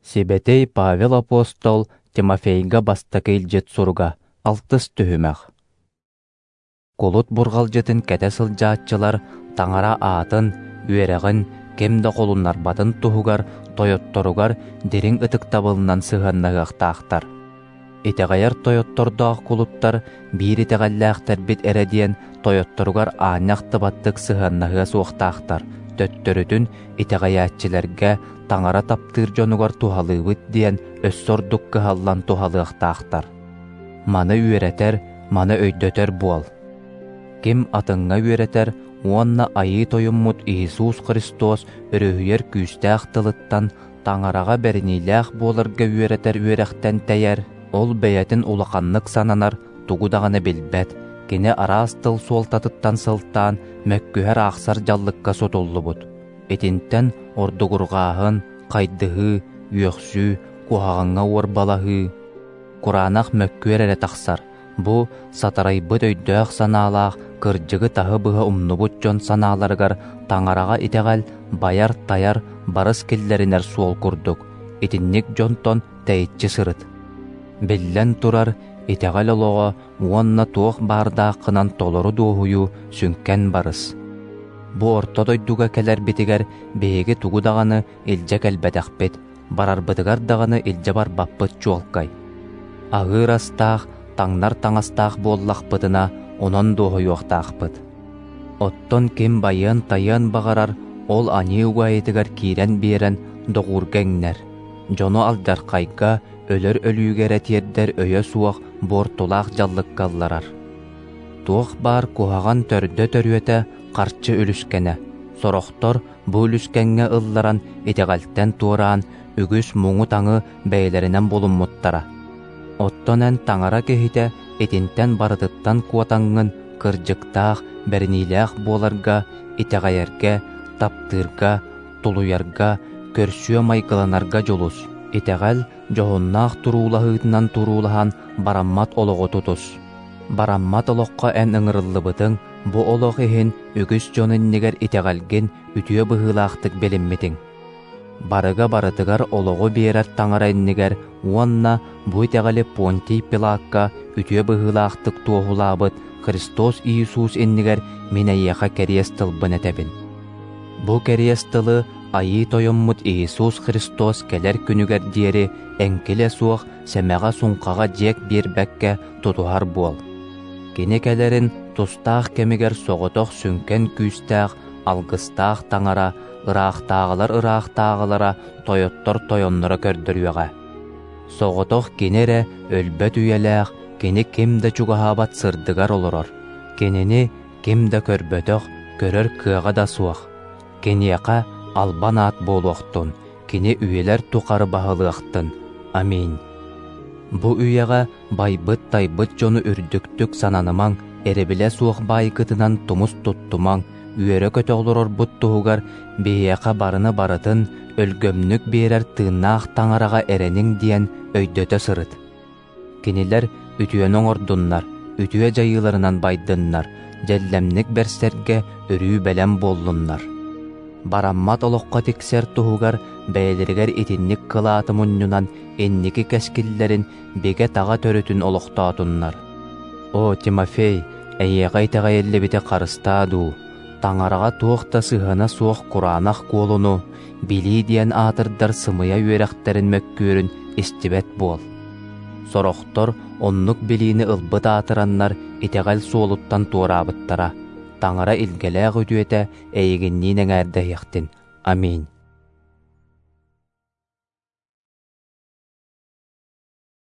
Сибэтэй Павел апостол Тимофейга бастакы илдьит суруга, алтыс түһүмэх. Кулут бурҕалдьытын кэтэ сылдьааччылар Таҥара аатын, үөрэҕин ким да холуннарбатын туһугар тойотторугар дириҥ ытыктабылынан сыһыаннаһыахтаахтар. Итэҕэйэр тойоттордоох кулуттар биир итэҕэллээхтэрбит эрэ диэн тойотторугар аанньа ахтыбаттык сыһыаннаһыа суохтаахтар, төттөрүтүн итэҕэйээччилэргэ Таҥара таптыыр дьонугар туһалыыбыт диэн өссө ордук кыһаллан туһалыахтаахтар. Маны үөрэтэр, маны өйдөтөр буол. Ким атыҥҥа үөрэтэр уонна Айыы Тойоммут Иисус Христос өрүһүйэр күүстээх тылыттан Таҥараҕа бэриниилээх буоларга үөрэтэр үөрэхтэн тэйэр, ол бэйэтин улаханнык сананар, тугу даҕаны билбэт, кини араас тыл суолтатыттан сылтаан мөккүһэр аахсар дьаллыкка сутуллубут. Итинтэн ордугурҕааһын, хайдыһыы, үөхсүү, куһаҕаҥҥа уорбалаһыы, кураанах мөккүөр эрэ тахсар. Бу сатарайбыт өйдөөх-санаалаах, кырдьыгы таһы-быһа умнубут дьон санааларыгар Таҥараҕа итэҕэл байар-тайар, барыс киллэринэр суол курдук. Итинник дьонтон тэйиччи сырыт. Биллэн турар, итэҕэл олоҕо уонна туох баардааххынан толору дуоһуйуу сүҥкэн барыс. Бу орто дойдуга кэлэрбитигэр биһиги тугу даҕаны илдьэ кэлбэтэхпит, барарбытыгар даҕаны илдьэ барбаппыт чуолкай. Аһыыр астаах, таҥнар таҥастаах буоллахпытына, онон дуоһуйуохтаахпыт. Оттон ким байыан-тайыан баҕарар, ол аньыы угаайытыгар киирэн биэрэн доҕуурга иҥнэр. Дьону алдьархайга, өлөр өлүүгэ эрэ тиэрдэр өйө суох буортулаах дьаллыкка ылларар. Туох баар куһаҕан төрдө-төрүөтэ харчы үлүскэнэ. Сорохтор бу үлүскэҥҥэ ылларан итэҕэлтэн туораан үгүс муҥу-таҥы бэйэлэринэн булуммуттара. Оттон эн таҥара киһитэ итинтэн барытыттан куотаҥҥын кырдьыктаах, бэриниилээх буоларга, итэҕэйэргэ, таптыырга, тулуйарга, көрсүө майгыланарга дьулус. Итэҕэл дьоһуннаах туруулаһыытынан туруулаһан бараммат олоҕу тутус. Бараммат олоххо эн ыҥырыллыбытыҥ, бу олох иһин үгүс дьон иннигэр итэҕэлгин үтүө быһыылаахтык билиммитиҥ. Барыга барытыгар олоҕу биэрэр Таҥара иннигэр уонна бу итэҕэли Понтий Пилакка үтүө быһыылаахтык туоһулаабыт Христос Иисус иннигэр мин эйиэхэ кэриэс тылбын этэбин. Бу кэриэс тылы Айыы Тойоммут Иисус Христос кэлэр күнүгэр диэри эҥкилэ суох сэмэҕэ-суҥхаҕа дьиэк биэрбэккэ тутуһар буол. Кини кэлэрин тустаах кэмигэр соҕотох сүҥкэн күүстээх, алгыстаах Таҥара, ыраахтааҕылар ыраахтааҕылара, тойоттор тойонноро көрдөрүөҕэ. Соҕотох кини эрэ өлбөт үйэлээх, кини ким да чугаһаабат сырдыгар олорор. Кинини ким да көрбөтөх, көрөр кыаҕа да суох. Киниэхэ албан аат буолуохтун, кини үйэлэр тухары баһылыахтын. Аминь. Бу үйэҕэ байбыт-тайбыт дьону үрдүктүк сананымаҥ, эрэбилэ суох баайгытынан тумус туттумаҥ, үөрэ-көтө олорорбут туһугар биһиэхэ барыны барытын өлгөмнүк биэрэр тыыннаах Таҥараҕа эрэниҥ диэн өйдөтө сырыт. Кинилэр үтүөнү оҥордуннар, үтүө дьайыыларынан байдыннар, дьэллэмник бэрсэргэ өрүү бэлэм буоллуннар. Бараммат олоххо тиксэр туһугар бэйэлэригэр итинник кылааты мунньунан инники кэскиллэрин бигэ-таҕа төрүтүн олохтоотуннар. О, Тимофей, эйиэхэ итэҕэйиллибити харыстаа дуу, Таҥараҕа туох да сыһыана суох кураанах куолуну, билии диэн аатырдар сымыйа үөрэхтэрин мөккүөрүн истибэт буол. Сорохтор оннук билиини ылбыт аатыраннар итэҕэл суолуттан туораабыттара. Таҥара илгэлээх үтүөтэ эйигинниин эҥээрдэһиэхтин. Аминь.